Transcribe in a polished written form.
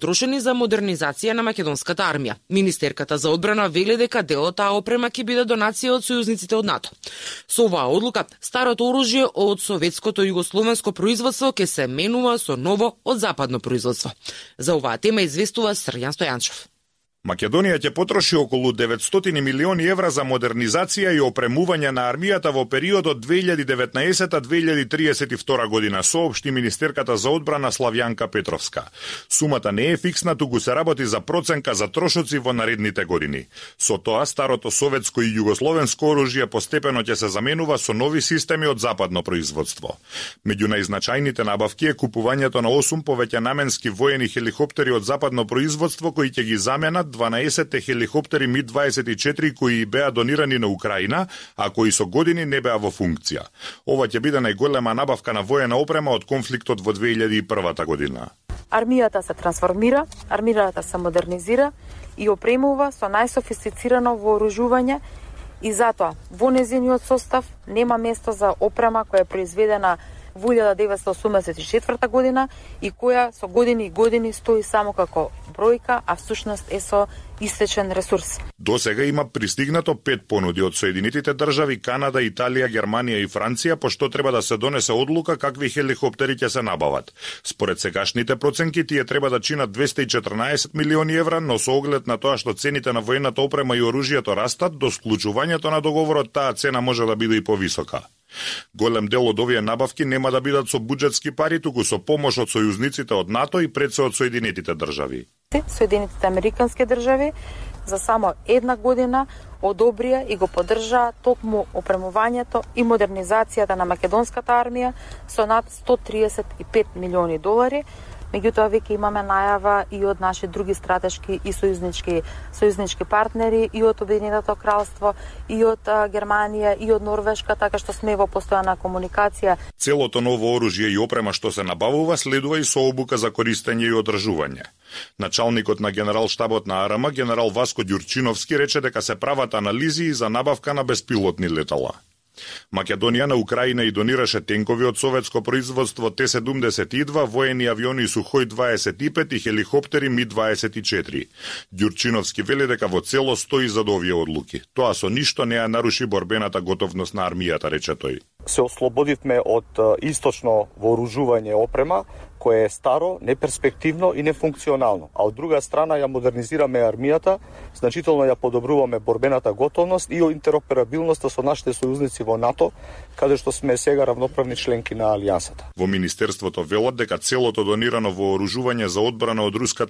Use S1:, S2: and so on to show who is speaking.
S1: трошени за модернизација на македонската армија. Министерката за одбрана вели дека дел од таа опрема ќе биде донација од сојузниците од НАТО. Со оваа одлука, старото оружје од советското југословенско производство ќе се менува со ново од западно производство. За оваа тема известува Срјан Стојанчев.
S2: Македонија ќе потроши околу 900 милиони евра за модернизација и опремување на армијата во периодот 2019-2032 година, соопшти министерката за одбрана Славјанка Петровска. Сумата не е фиксна, туку се работи за проценка за трошоци во наредните години. Со тоа, старото советско и југословенско оружје постепено ќе се заменува со нови системи од западно производство. Меѓу најзначајните набавки е купувањето на 8 повеќе наменски воени хеликоптери од западно производство кои ќе ги заменат 12 хеликоптери Ми-24 кои беа донирани на Украина, а кои со години не беа во функција. Ова ќе биде најголема набавка на воена опрема од конфликтот во 2001 година.
S3: Армијата се трансформира, армијата се модернизира и опремува со најсофистицирано вооружување и затоа во нејзиниот состав нема место за опрема која е произведена во 1984 година и која со години и години стои само како бројка, а всушност е со истечен ресурс.
S2: До сега има пристигнато 5 понуди од Соединетите држави, Канада, Италија, Германија и Франција, пошто треба да се донесе одлука какви хеликоптери ќе се набават. Според сегашните проценки, тие треба да чинат 214 милиони евра, но со оглед на тоа што цените на воената опрема и оружјето растат, до склучувањето на договорот таа цена може да биде и повисока. Голем дел од овие набавки нема да бидат со буџетски пари, туку со помош од сојузниците од НАТО и пред се од Соединетите држави.
S3: Соединетите американски држави за само една година одобрија и го поддржаа токму опремувањето и модернизацијата на македонската армија со над 135 милиони долари. Меѓутоа, веќе имаме најава и од наши други стратешки и сојузнички партнери, и од Обединетото кралство, и од Германија, и од Норвешка, така што сме во постојана комуникација.
S2: Целото ново оружје и опрема што се набавува следува и со обука за користење и одржување. Началникот на генерал-штабот на АРМ, генерал Васко Ѓурчиновски, рече дека се прават анализи за набавка на беспилотни летала. Македонија на Украина и донираше тенкови од советско производство Т-72, воени авиони Сухој-25 и хеликоптери Ми-24. Ѓурчиновски вели дека во цело стои за овие одлуки. Тоа со ништо не ја наруши борбената готовност на армијата, рече тој.
S4: Се ослободивме од источно вооружување опрема, кое е старо, неперспективно и нефункционално. А од друга страна ја модернизираме армијата, значително ја подобруваме борбената готовност и интероперабилноста со нашите сојузници во НАТО, каде што сме сега равноправни членки на алијансата.
S2: Во Министерството велат дека целото донирано вооружување за одбрана од руската